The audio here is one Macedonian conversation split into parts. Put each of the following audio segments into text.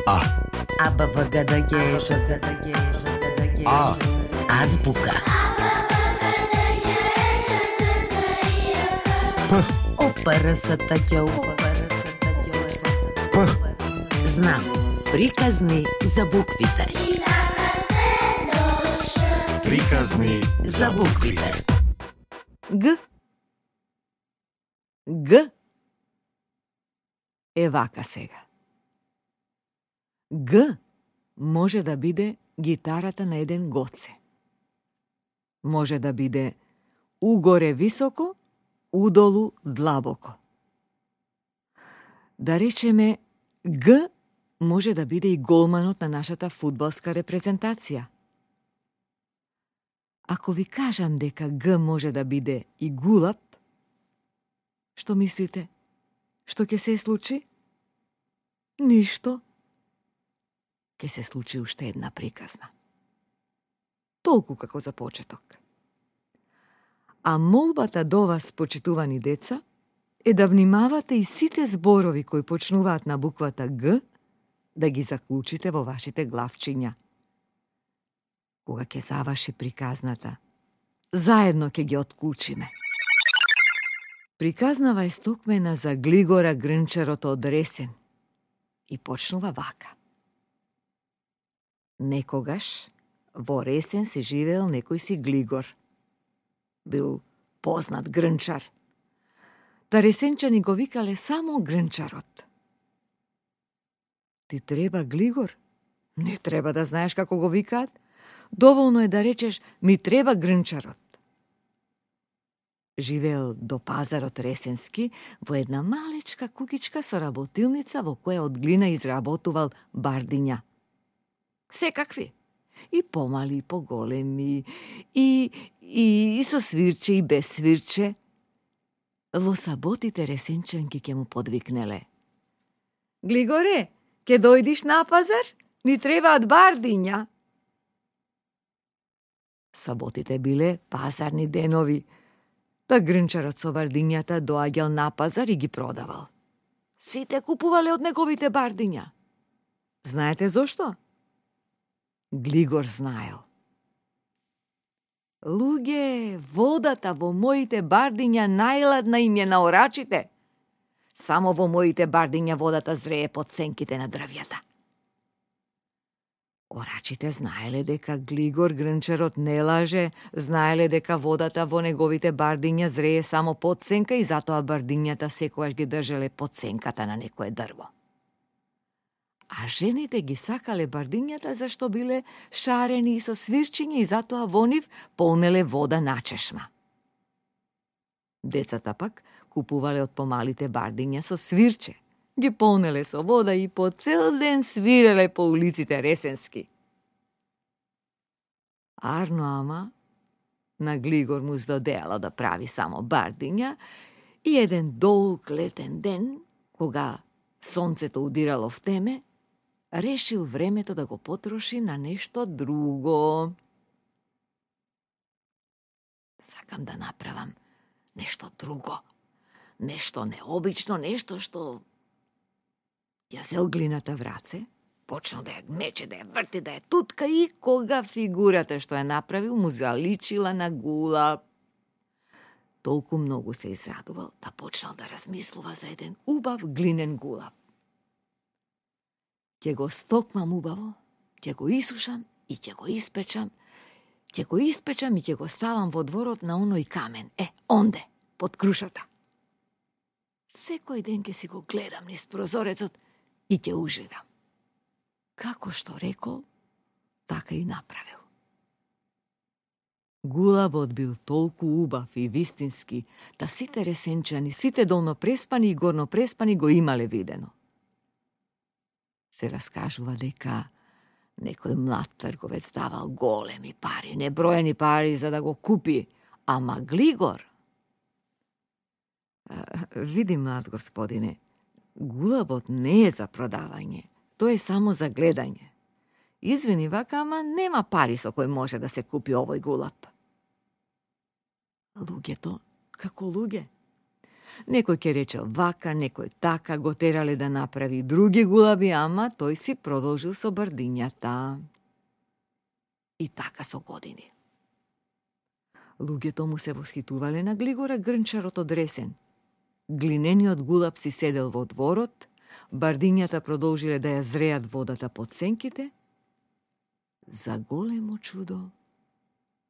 А. А. Азбука. П. П. Знам. Приказни за буквите. Приказни За буквите. Г. Г е вака сега. Г може да биде гитарата на еден гоце. Може да биде угоре високо, удолу длабоко. Да речеме, Г може да биде и голманот на нашата фудбалска репрезентација. Ако ви кажам дека Г може да биде и гулаб, што мислите? Што ќе се случи? Ништо. Ќе се случи уште една приказна. Толку како за почеток. А молбата до вас, почитувани деца, е да внимавате и сите зборови кои почнуваат на буквата Г, да ги заклучите во вашите главчиња. Кога ќе заврши приказната, заедно ќе ги отклучиме. Приказнава е стокмена за Глигора Грнчарот од Ресен и почнува вака. Некогаш во Ресен се живеел некој си Глигор. Бил познат грнчар. Та ресенчани го викале само Грнчарот. Ти треба Глигор? Не треба да знаеш како го викаат. Доволно е да речеш ми треба Грнчарот. Живеел до пазарот Ресенски во една малечка куќичка со работилница во која од глина изработувал бардиња. Секакви. И помали, и поголеми, и со свирче, и без свирче. Во саботите ресенчанки ќе му подвикнеле. Глигоре, ќе дојдиш на пазар? Ни требаат бардиња. Саботите биле пазарни денови. Та Грнчарот со бардињата доаѓал на пазар и ги продавал. Сите купувале од неговите бардиња. Знаете зошто? Глигор знаел. Луѓе, водата во моите бардиња најладна им е на орачите. Само во моите бардиња водата зрее под сенките на дрвјата. Орачите знаеле дека Глигор Грнчарот не лаже, знаеле дека водата во неговите бардиња зрее само под сенка и затоа бардињата секогаш ги држале под сенката на некое дрво. А жените ги сакале бардињата зашто биле шарени и со свирчиња и затоа во нив полнеле вода на чешма. Децата пак купувале од помалите бардиња со свирче, ги полнеле со вода и по цел ден свиреле по улиците Ресенски. Арно ама, на Глигор му здодеало да прави само бардиња и еден долг летен ден, кога сонцето удирало в теме, решил времето да го потроши на нешто друго. Сакам да направам нешто друго, нешто необично, нешто што ја зел глината в раце, почнал да ја мече, да ја врти, да ја тутка и кога фигурата што ја направил му заличила на гулаб. Толку многу се израдувал да почнал да размислува за еден убав глинен гулаб. Ќе го стокмам убаво, ќе го исушам и ќе го испечам, ќе го испечам и ќе го ставам во дворот на оној камен, онде, под крушата. Секој ден ќе си го гледам низ прозорецот и ќе уживам. Како што рекол, така и направил. Гулабот бил толку убав и вистински, та сите ресенчани, сите долнопреспани и горнопреспани го имале видено. Се раскажува дека некој млад трговец давал големи пари, неброени пари за да го купи, ама Глигор... Види, млад господине, гулабот не е за продавање, тој е само за гледање. Извини вака, ама нема пари со кој може да се купи овој гулаб. Луѓето, како луѓе, Некој ќе речел вака, некој така, го терале да направи други гулаби, ама тој си продолжил со бардињата. И така со години. Луѓето му се восхитувале на Глигора Грнчарот од Ресен. Глинениот гулаб си седел во дворот, бардињата продолжиле да ја зреат водата под сенките. За големо чудо,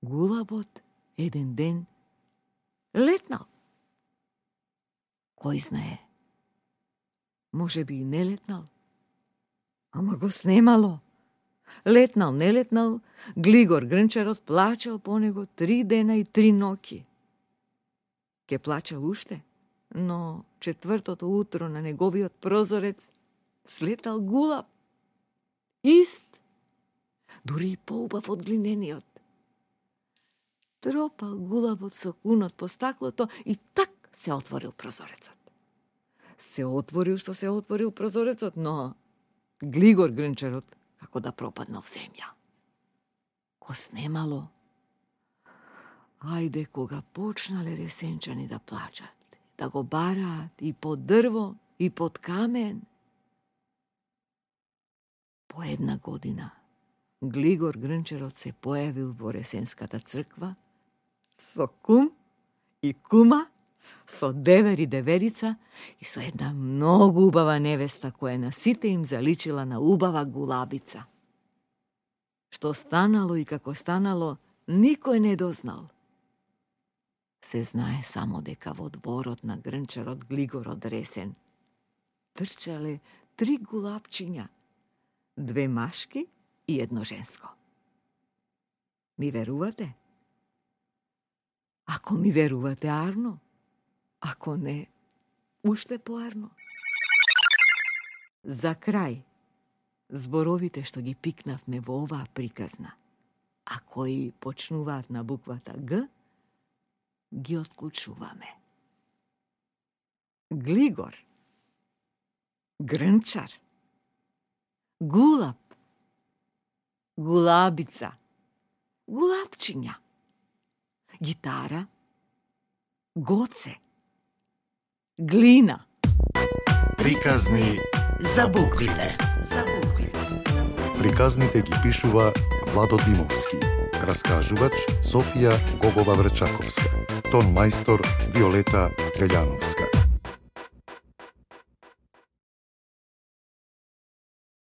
гулабот еден ден летнал. Кој знае? Може би и не летнал. Ама го снемало. Летнал, не летнал, Глигор Грнчарот плачал по него 3 дена и 3 ноќи. Ке плачал уште, но четвртото утро на неговиот прозорец слетал гулаб. Ист, дури и поубав од глинениот. Тропал гулабот со кунот по стаклото и так се отворил прозорецот. Се отворил што се отворил прозорецот, но Глигор Грнчарот како да пропаднал в земја. Го снемало. Ајде кога почнале ресенчани да плачат, да го бараат и под дрво, и под камен. По една година Глигор Грнчарот се појавил во Ресенската црква со кум и кума, со девер и деверица и со една многу убава невеста која на сите им заличила на убава гулабица. Што станало и како станало, никој не дознал. Се знае само дека во дворот на Грнчарот Глигор од Ресен трчале 3 гулабчиња, 2 машки и 1 женско. Ми верувате? Ако ми верувате, арно. Ако не, уште поарно. За крај, зборовите што ги пикнавме во оваа приказна, а кои почнуваат на буквата Г, ги отклучуваме. Глигор, Грнчар, гулаб, гулабица, гулабчиња, гитара, гоце, глина. Приказни За буквите. Приказните ги пишува Владо Димовски. Раскажувач Софија Гогова Врчаковска. Тон мајстор Виолета Гаљановска.